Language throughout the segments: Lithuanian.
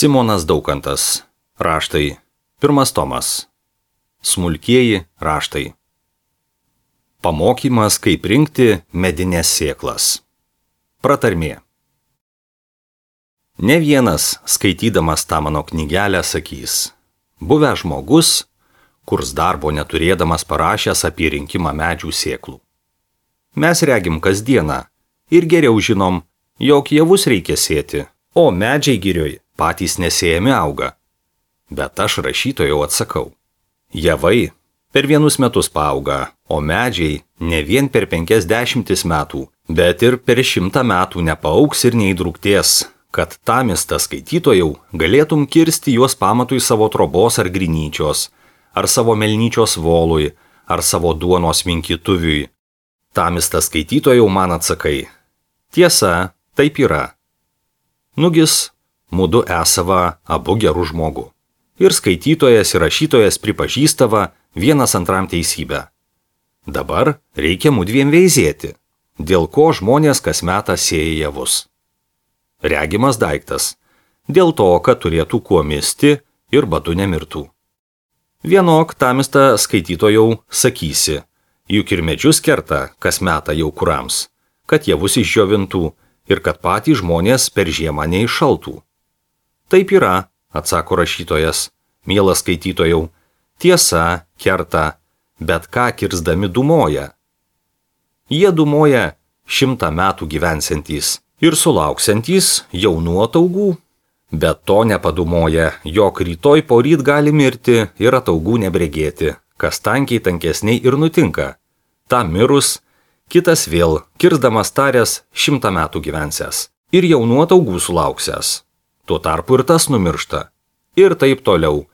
Simonas Daukantas. Raštai. 1 tomas. Smulkieji raštai. Pamokymas, kaip rinkti medines sėklas. Pratarmė. Ne vienas, skaitydamas tą mano knygelę, sakys: buvęs žmogus, kurs darbo neturėdamas parašęs apie rinkimą medžių sėklų. Mes regim kasdieną ir geriau žinom, jog javus reikia sėti, o medžiai girioj patys nesėjami auga. Bet aš rašytojau atsakau: javai per 1 metus paauga, o medžiai ne vien per 50 metų, bet ir per 100 metų nepaaugs ir neįdrūktės, kad tamista skaitytojau galėtum kirsti juos pamatui savo trobos ar grinyčios, ar savo melnyčios volui, ar savo duonos minkytuviui. Tamista skaitytojau man atsakai: tiesa, taip yra. Nugis, mudu esava abu gerų žmogų. Ir skaitytojas ir rašytojas pripažįstava vienas antram teisybę. Dabar reikia mudviem veizėti, dėl ko žmonės kas metą sėja javus. Regimas daiktas, dėl to, kad turėtų kuo misti ir badu nemirtų. Vienok tamista skaitytojau sakysi, juk ir medžius kerta kas metą jau kurams, kad javus išdžiovintų ir kad patys žmonės per žiemą neiššaltų. Taip yra, atsako rašytojas, mielas skaitytojau, tiesa, kerta, bet ką kirsdami dūmoja. Jie dūmoja 100 metų gyvensiantys ir sulauksiantys jaunų ataugų, bet to nepadūmoja, jog rytoj poryt gali mirti ir ataugų nebregėti, kas tankiai tankesniai ir nutinka. Ta mirus, kitas vėl, kirsdamas taręs 100 metų gyvensęs ir jaunų ataugų sulauksęs. Tuo tarpu ir tas numiršta. Ir taip toliau.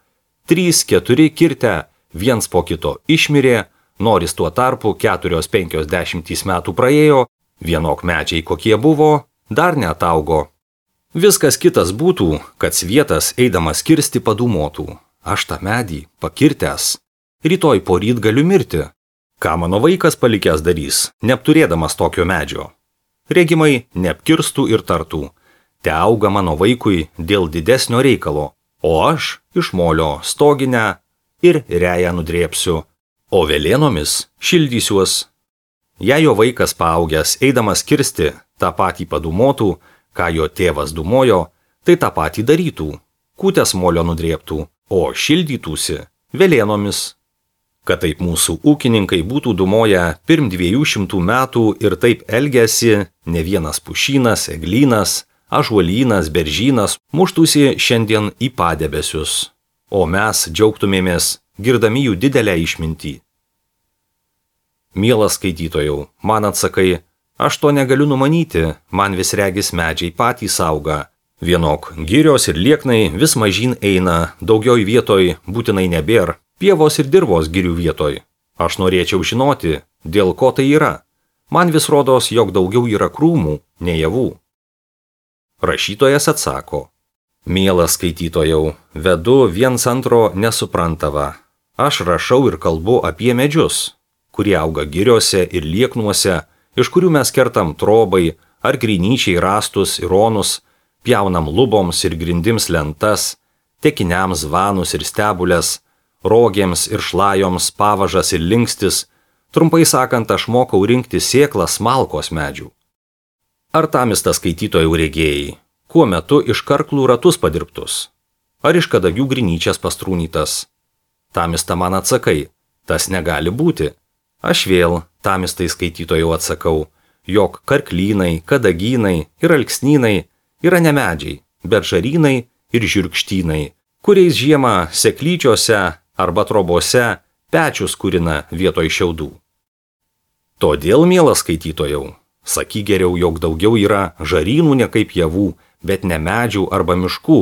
3-4 kirtę, viens po kito išmirė, noris tuo tarpu 4-50 metų praėjo, vienok medžiai kokie buvo, dar neataugo. Viskas kitas būtų, kad svietas eidamas kirsti padūmotų. Aš tą medį pakirtęs. Rytoj poryt galiu mirti. Ką mano vaikas palikęs darys, neapturėdamas tokio medžio? Regimai neapkirstų ir tartų: te auga mano vaikui dėl didesnio reikalo, o aš iš molio stoginę ir reją nudrėpsiu, o velėnomis šildysiuos. Jei jo vaikas paaugęs eidamas kirsti tą patį padūmotų, ką jo tėvas dūmojo, tai tą patį darytų, kūtės molio nudrėptų, o šildytųsi velėnomis. Kad taip mūsų ūkininkai būtų dūmoję pirm 200 metų ir taip elgiasi, ne vienas pušynas, eglynas, ąžuolynas, beržynas muštųsi šiandien į padebesius, o mes džiaugtumėmės girdami jų didelę išmintį. Mielas skaitytojau, man atsakai: aš to negaliu numanyti, man vis regis medžiai patys auga. Vienok girios ir lieknai vis mažyn eina, daugioj vietoj būtinai nebėr, pievos ir dirvos girių vietoj. Aš norėčiau žinoti, dėl ko tai yra. Man vis rodos, jog daugiau yra krūmų, nei javų. Rašytojas atsako: mielas skaitytojau, vedu viens antro nesuprantava. Aš rašau ir kalbu apie medžius, kurie auga giriose ir lieknuose, iš kurių mes kertam trobai ar grinyčiai rastus ir ronus, pjaunam luboms ir grindims lentas, tekiniams vanus ir stebulės, rogėms ir šlajoms pavažas ir linkstis, trumpai sakant, aš mokau rinkti sėklas malkos medžių. Ar tamista skaitytojų regėjai, kuo metu iš karklų ratus padirbtus, ar iš kadagių grinyčias pastrūnytas? Tamista man atsakai: tas negali būti. Aš vėl tamistai skaitytojų atsakau, jog karklynai, kadagynai ir alksnynai yra ne medžiai, bet žarynai ir žirkštynai, kuriais žiemą seklyčiose arba trobose pečius kurina vietoj šiaudų. Todėl, mielas skaitytojau, sakyk geriau, jog daugiau yra žarynų ne kaip javų, bet ne medžių arba miškų,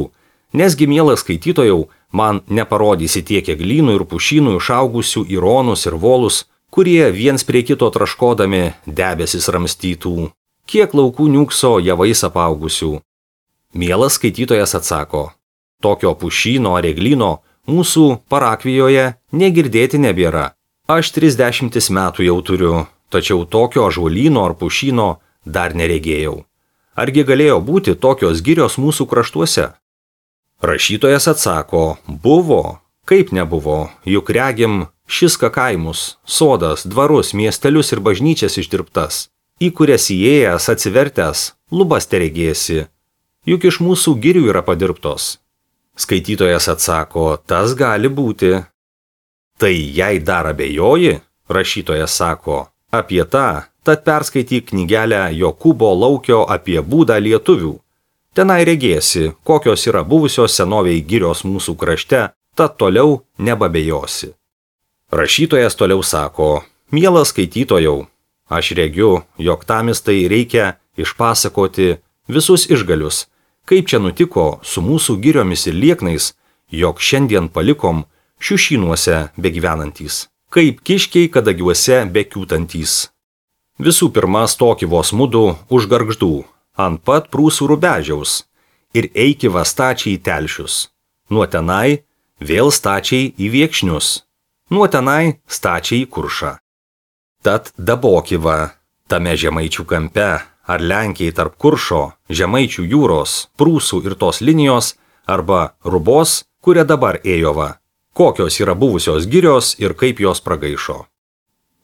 nesgi, mielas skaitytojau, man neparodysi tiek eglynų ir pušynų išaugusių į ronus ir volus, kurie viens prie kito traškodami debesis ramstytų, kiek laukų niukso javais apaugusių. Mielas skaitytojas atsako: tokio pušyno ar eglyno mūsų parakvijoje negirdėti nebėra. Aš 30 metų jau turiu, tačiau tokio ąžuolyno ar pušyno dar neregėjau. Argi galėjo būti tokios girios mūsų kraštuose? Rašytojas atsako, buvo, kaip nebuvo, juk regim šis kaimus, sodas, dvarus, miestelius ir bažnyčias išdirbtas, į kurias įėjęs atsivertęs, lubas teregėsi, juk iš mūsų girių yra padirbtos. Skaitytojas atsako, tas gali būti. Tai jei dar abejoji, rašytojas sako, apie tą, tad perskaityk knygelę Jokūbo Laukio apie būdą lietuvių. Tenai regėsi, kokios yra buvusios senoviai girios mūsų krašte, tad toliau nebabejosi. Rašytojas toliau sako, mielas skaitytojau, aš regiu, jog tamistai reikia išpasakoti visus išgalius, kaip čia nutiko su mūsų giriomis ir lieknais, jog šiandien palikom šiušynuose begyvenantys, kaip kiškiai kadagiuose bekiūtantys. Visų pirma, stoki vos mudu už gargždų, ant pat Prūsų rubežiaus, ir eiki va stačiai į telšius. Nuo tenai vėl stačiai į Viekšnius, nuo tenai stačiai į Kuršą. Tad daboki va, tame Žemaičių kampe, ar Lenkijai tarp Kuršo, Žemaičių jūros, Prūsų ir tos linijos, arba Rubos, kuria dabar ėjo va, kokios yra buvusios girios ir kaip jos pragaišo.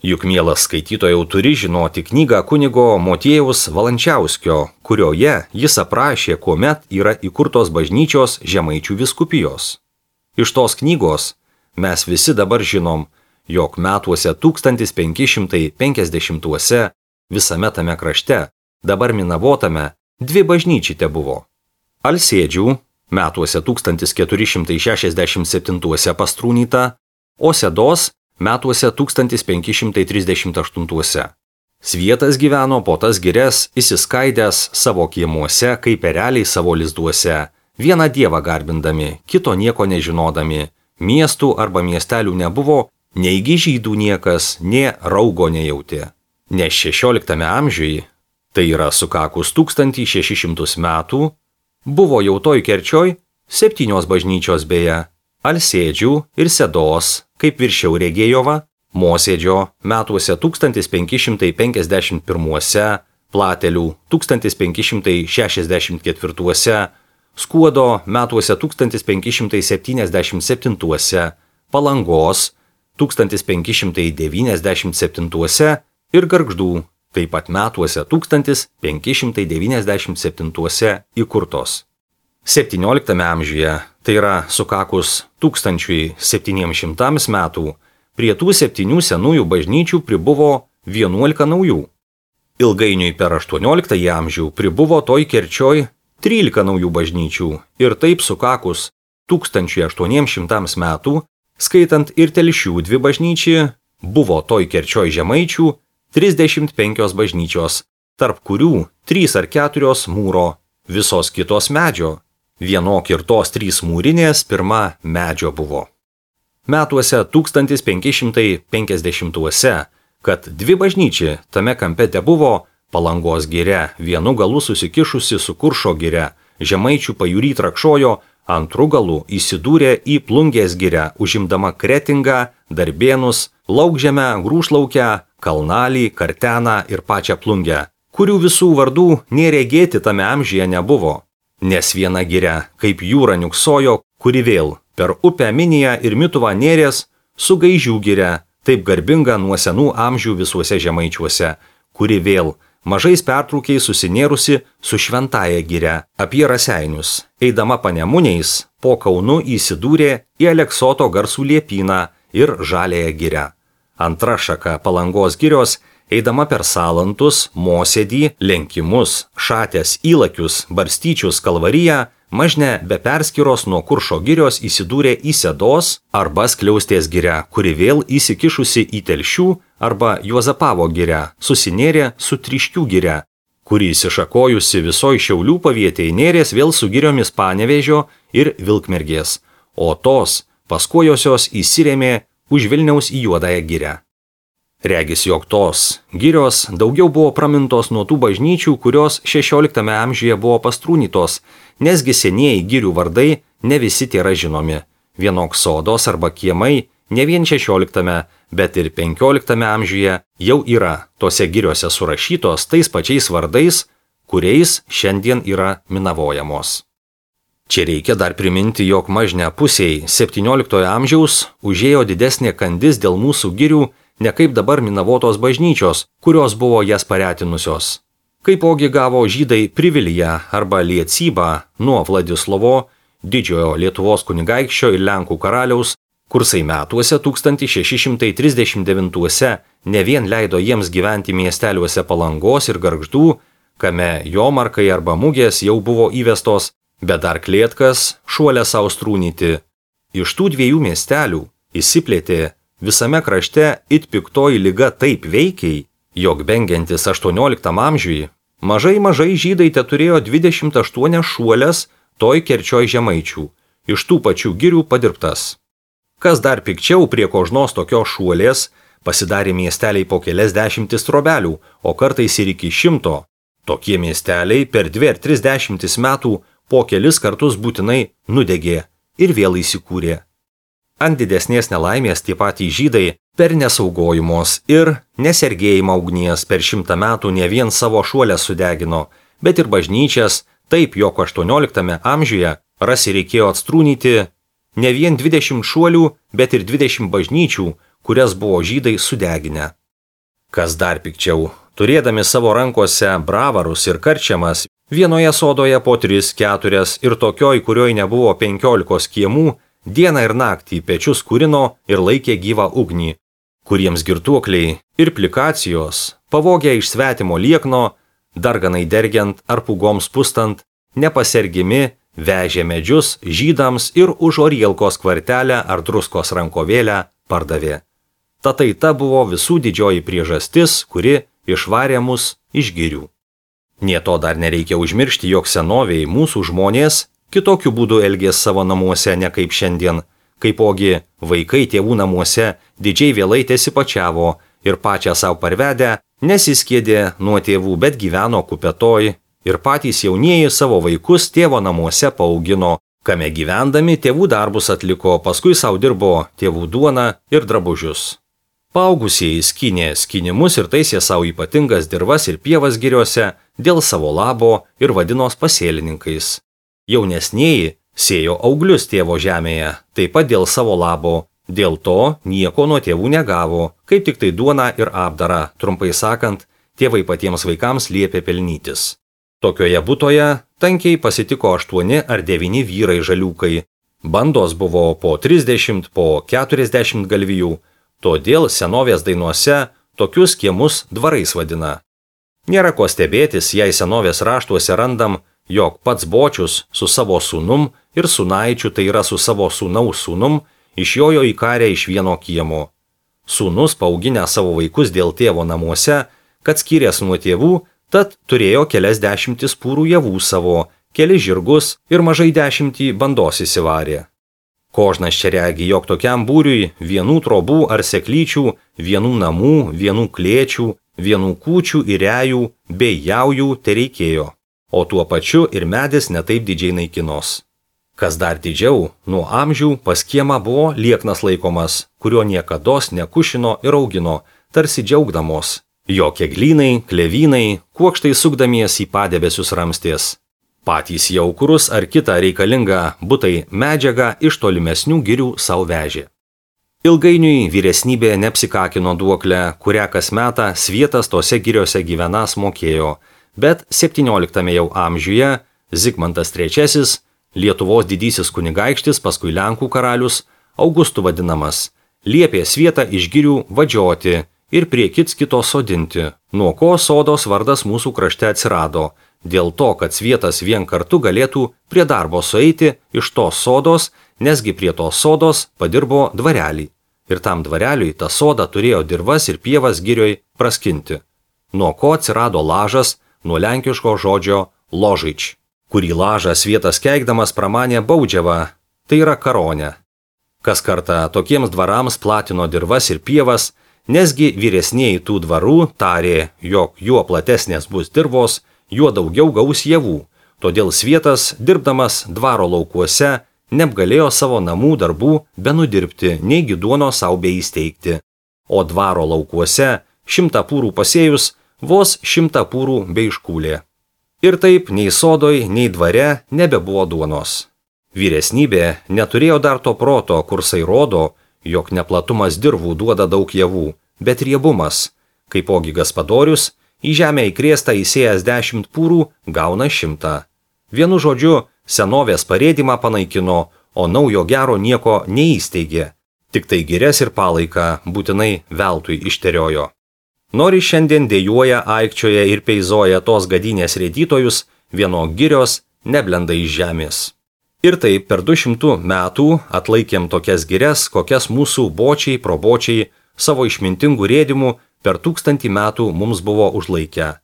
Juk mielas skaitytojau turi žinoti knygą kunigo Motiejaus Valančiauskio, kurioje jis aprašė, kuomet yra įkurtos bažnyčios Žemaičių vyskupijos. Iš tos knygos mes visi dabar žinom, jog metuose 1550-uose visame tame krašte, dabar Minavotame, dvi bažnyčiai buvo. Alsėdžių metuose 1467 pastrūnyta, o Sedos metuose 1538. Svietas gyveno po tas girias įsiskaidęs savo kiemuose kaip ereliai savo lizduose, vieną dievą garbindami, kito nieko nežinodami, miestų arba miestelių nebuvo, neigi žydų niekas, nė raugo nejautė. Nes 16 amžiui, tai yra sukakus 1600 metų, buvo jau toj Kerčioj 7 bažnyčios beje, Alsėdžių ir Sedos, kaip viršiau regėjova, Mosėdžio metuose 1551, Platelių 1564, Skuodo metuose 1577, Palangos 1597 ir Gargždų taip pat metuose 1597 įkurtos. 17 amžiuje, tai yra sukakus 1700 metų, prie tų 7 senųjų bažnyčių pribuvo 11 naujų. Ilgainiui per 18 amžių pribuvo toj Kerčioj 13 naujų bažnyčių ir taip sukakus 1800 metų, skaitant ir Telšių 2 bažnyčių, buvo toj Kerčioj Žemaičių 35 bažnyčios, tarp kurių 3 ar 4 mūro, visos kitos medžio. Vienok ir tos 3 mūrinės pirma medžio buvo. Metuose 1550-uose, kad 2 bažnyčiai tame kampe tebuvo Palangos giria, vienu galu susikišusi su Kuršo giria, Žemaičių pajūry trakšojo, antru galu įsidūrė į Plungės giria, užimdama Kretingą, Darbėnus, Laukžemę, Grūšlaukę, Kalnalį, Karteną ir pačią Plungę, kurių visų vardų neregėti tame amžiuje nebuvo. Nes viena giria, kaip jūra niuksojo, kuri vėl per upę Miniją ir Mituvą nėrės, su Gaižių giria, taip garbinga nuo senų amžių visuose Žemaičiuose, kuri vėl mažais pertraukiais susinėrusi su Šventąja giria apie Raseinius, eidama Panemuniais, po Kaunu įsidūrė į Aleksoto garsų liepyną ir Žaliąją girią. Antra šaka Palangos girios, eidama per Salantus, Mosėdį, Lenkimus, Šatės, Įlakius, Barstyčius, Kalvariją, Mažne be perskiros nuo Kuršo girios įsidūrė į Sedos arba Skliaustės giria, kuri vėl įsikišusi į Telšių arba Juozapavo giria, susinėrė su Tryškių giria, kuri įsišakojusi visoj Šiaulių pavietėj nėrės vėl su giriomis Panevėžio ir Vilkmergės, o tos paskojosios įsirėmė už Vilniaus į Juodąją girią. Regis, jog tos girios daugiau buvo pramintos nuo tų bažnyčių, kurios 16 amžiuje buvo pastrūnytos, nesgi senieji girių vardai ne visi tėra žinomi. Vienok sodos arba kiemai ne vien 16, bet ir 15 amžiuje jau yra tose giriose surašytos tais pačiais vardais, kuriais šiandien yra minavojamos. Čia reikia dar priminti, jog mažne pusiai 17 amžiaus užėjo didesnė kandis dėl mūsų girių, ne kaip dabar Minavotos bažnyčios, kurios buvo jas paretinusios. Kaipogi gavo žydai priviliją arba liecybą nuo Vladislovo, didžiojo Lietuvos kunigaikščio ir Lenkų karaliaus, kursai metuose 1639 ne vien leido jiems gyventi miesteliuose Palangos ir Gargždų, kame jomarkai arba mugės jau buvo įvestos, bet dar Klėtkas, Šuolės Austrūnyti. Iš tų dviejų miestelių įsiplėtė visame krašte it piktoji liga taip veikiai, jog bengiantis 18 amžiui, mažai žydai teturėjo 28 šuolės toj Kerčioj žemaičių, iš tų pačių girių padirbtas. Kas dar pikčiau, prie kožnos tokios šuolės pasidarė miesteliai po kelias dešimtis trobelių, o kartais ir iki 100. Tokie miesteliai per 2 ar 30 metų po kelis kartus būtinai nudegė ir vėl įsikūrė. Ant didesnės nelaimės tie patys žydai per nesaugojimos ir nesergėjimą ugnies per 100 metų ne vien savo šuolės sudegino, bet ir bažnyčias, taip jog 18 amžiuje rasi reikėjo atstrūnyti ne vien 20 šuolių, bet ir 20 bažnyčių, kurias buvo žydai sudeginę. Kas dar pikčiau, turėdami savo rankose bravarus ir karčiamas, vienoje sodoje po 3-4 ir tokioj, kurioj nebuvo 15 kiemų, dieną ir naktį pečius kūrino ir laikė gyvą ugnį, kuriems girtuokliai ir plikacijos, pavogę iš svetimo liekno, darganai dergiant ar pugoms pustant, nepasergimi vežė medžius žydams ir už Orielkos kvartelę ar druskos rankovėlę pardavė. Tatai ta buvo visų didžioji priežastis, kuri išvarė mus iš girių. Nė to dar nereikia užmiršti, jog senovėj mūsų žmonės kitokiu būdu elgės savo namuose ne kaip šiandien, kaipogi vaikai tėvų namuose didžiai vėlai tesipačiavo ir pačią savo parvedę nesiskiedė nuo tėvų, bet gyveno kupetoj ir patys jaunieji savo vaikus tėvo namuose paaugino, kame gyvendami tėvų darbus atliko, paskui savo dirbo tėvų duoną ir drabužius. Paaugusieji skynė skynimus ir taisė savo ypatingas dirvas ir pievas giriuose dėl savo labo ir vadinos pasėlininkais. Jaunesnieji sėjo auglius tėvo žemėje, taip pat dėl savo labo, dėl to nieko nuo tėvų negavo, kaip tik tai duoną ir apdarą, trumpai sakant, tėvai patiems vaikams liepė pelnytis. Tokioje butoje tankiai pasitiko 8 ar 9 vyrai žaliukai, bandos buvo po 30, po 40 galvijų, todėl senovės dainuose tokius kiemus dvarais vadina. Nėra ko stebėtis, jei senovės raštuose randam, jog pats Bočius su savo sūnum ir sūnaičiu, tai yra su savo sūnaus sūnum, išjojo į karę iš vieno kiemo. Sūnus paauginę savo vaikus dėl tėvo namuose, kad skyrės nuo tėvų, tad turėjo kelias dešimtis pūrų javų savo, kelis žirgus ir mažai 10 bandos įsivarė. Kožnas čia regi, jog tokiam būriui vienų trobų ar seklyčių, vienų namų, vienų klėčių, vienų kūčių ir rejų bei jaujų tereikėjo, o tuo pačiu ir medis netaip didžiai naikinos. Kas dar didžiau, nuo amžių pas kiemą buvo lieknas laikomas, kurio niekados nekušino ir augino, tarsi džiaugdamos. Jo keglynai, klevynai, kuokštai sukdamiesi į padebesius ramstės. Patys jaukurus ar kitą reikalingą butai medžiagą iš tolimesnių girių savo vežė. Ilgainiui vyresnybė neapsikakino duoklę, kurią kas metą svietas tose giriose gyvenas mokėjo, bet 17 jau amžiuje Zigmantas III, Lietuvos didysis kunigaikštis, paskui Lenkų karalius, Augustu vadinamas, liepė svietą iš girių vadžioti ir prie kito sodinti, nuo ko sodos vardas mūsų krašte atsirado, dėl to, kad svietas vien kartu galėtų prie darbo sueiti iš tos sodos, nesgi prie tos sodos padirbo dvarelį. Ir tam dvareliui tą sodą turėjo dirvas ir pievas girioj praskinti. Nuo ko atsirado lažas, nuo lenkiško žodžio ložič, kurį lažą svietas keikdamas pramanė baudžiavą, tai yra karonę. Kas kartą tokiems dvarams platino dirvas ir pievas, nesgi vyresnieji tų dvarų tarė, jog juo platesnės bus dirvos, juo daugiau gaus javų, todėl svietas, dirbdamas dvaro laukuose, neapgalėjo savo namų darbų benudirbti, neigi duono sau beįsteigti. O dvaro laukuose 100 pūrų pasėjus, vos 100 pūrų beiškūlė. Ir taip nei sodoj, nei dvare nebebuvo duonos. Vyresnybė neturėjo dar to proto, kursai rodo, jog neplatumas dirvų duoda daug javų, bet riebumas, kaipogi Gaspadorius, į žemę įkrėstą įsėjęs 10 pūrų gauna 100. Vienu žodžiu, senovės parėdimą panaikino, o naujo gero nieko neįsteigė. Tik tai girias ir palaiką būtinai veltui išteriojo. Nori šiandien dėjuoja, aikčioja ir peizoja tos gadynės rėdytojus, vieno girios neblenda iš žemės. Ir taip per 200 metų atlaikėm tokias girias, kokias mūsų bočiai, probočiai savo išmintingų rėdimų per 1000 metų mums buvo užlaikę.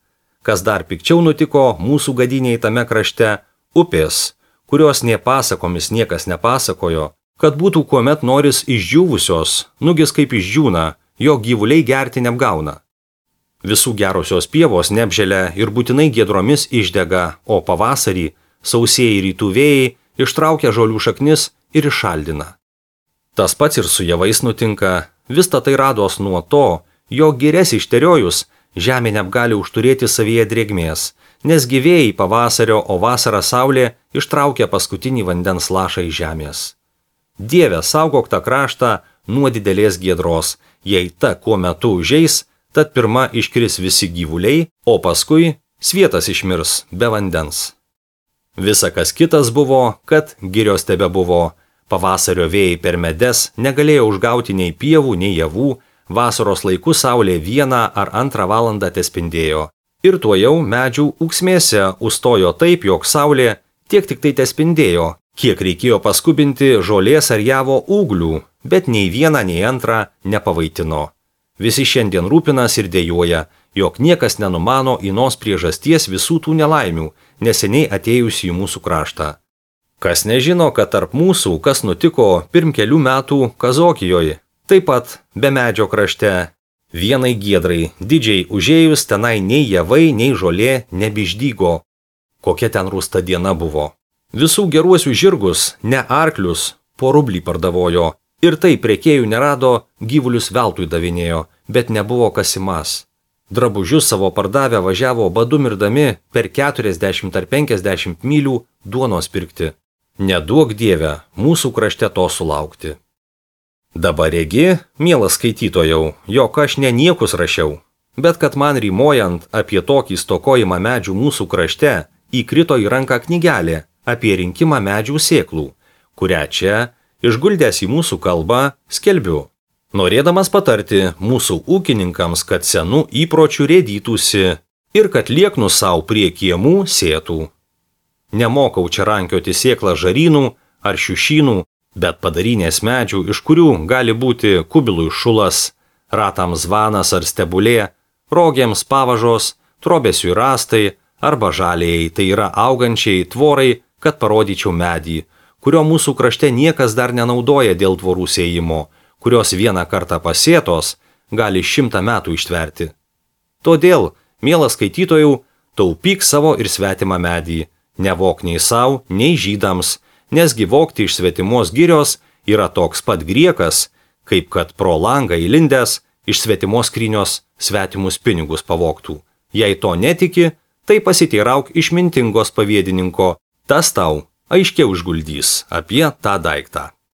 Kas dar pikčiau nutiko mūsų gadiniai tame krašte – upės, kurios nė pasakomis niekas nepasakojo, kad būtų kuomet noris išdžiūvusios, nugis kaip išdžiūna, jo gyvuliai gerti neapgauna. Visų gerosios pievos neapželia ir būtinai giedromis išdega, o pavasarį sausieji rytų vėjai ištraukia žolių šaknis ir iššaldina. Tas pats ir su javais nutinka, visa tai rados nuo to, jog girias išteriojus žemė neapgali užturėti savyje drėgmės, nes gyvėjai pavasario, o vasarą saulė ištraukia paskutinį vandens lašą iš žemės. Dieve, saugok tą kraštą nuo didelės giedros, jei ta kuo metu užeis, tad pirma iškris visi gyvuliai, o paskui svietas išmirs be vandens. Visa kas kitas buvo, kad girios tebe buvo, pavasario vėjai per medes negalėjo užgauti nei pievų, nei javų, vasaros laiku saulė 1 ar 2 valandą tespindėjo. Ir tuojau medžių ūksmėse užstojo taip, jog saulė tiek tik tai tespindėjo, kiek reikėjo paskubinti žolės ar javo ūglių, bet nei 1, nei 2 nepavaitino. Visi šiandien rūpinas ir dėjuoja, jog niekas nenumano inos priežasties visų tų nelaimių, neseniai atėjusių į mūsų kraštą. Kas nežino, kad tarp mūsų, kas nutiko pirm kelių metų Kazokijoje, taip pat be medžio krašte, vienai giedrai, didžiai užėjus tenai nei javai, nei žolė nebiždygo. Kokia ten rūsta diena buvo. Visų geruosių žirgus, ne arklius, po rublį pardavojo. Ir tai prekėjų nerado, gyvulius veltui davinėjo, bet nebuvo kasimas. Drabužius savo pardavę važiavo badu mirdami per 40 ar 50 mylių duonos pirkti. Neduok Dieve, mūsų krašte to sulaukti. Dabar regi, mielas skaitytojau, jog aš ne niekus rašiau, bet kad man rymojant apie tokį stokojimą medžių mūsų krašte įkrito į ranką knygelė apie rinkimą medžių sėklų, kurią čia, išguldęs į mūsų kalbą, skelbiu. Norėdamas patarti mūsų ūkininkams, kad senų įpročių rėdytųsi ir kad lieknų savo prie kiemų sėtų. Nemokau čia rankioti sėklą žarynų ar šiušynų, bet padarinės medžių, iš kurių gali būti kubilui šulas, ratams zvanas ar stebulė, rogėms pavažos, trobesiui rastai arba žalėjai, tai yra augančiai tvorai, kad parodyčiau medį, kurio mūsų krašte niekas dar nenaudoja dėl tvorų sėjimo, kurios 1 kartą pasėtos gali 100 metų ištverti. Todėl, mielas skaitytojau, taupyk savo ir svetimą medį, nevok nei savo, nei žydams, nesgi vogti iš svetimos girios yra toks pat griekas, kaip kad pro langą įlindęs iš svetimos skrynios svetimus pinigus pavogtų. Jei to netiki, tai pasiteirauk išmintingos pavėdininko, tas tau aiškiau išguldys apie tą daiktą.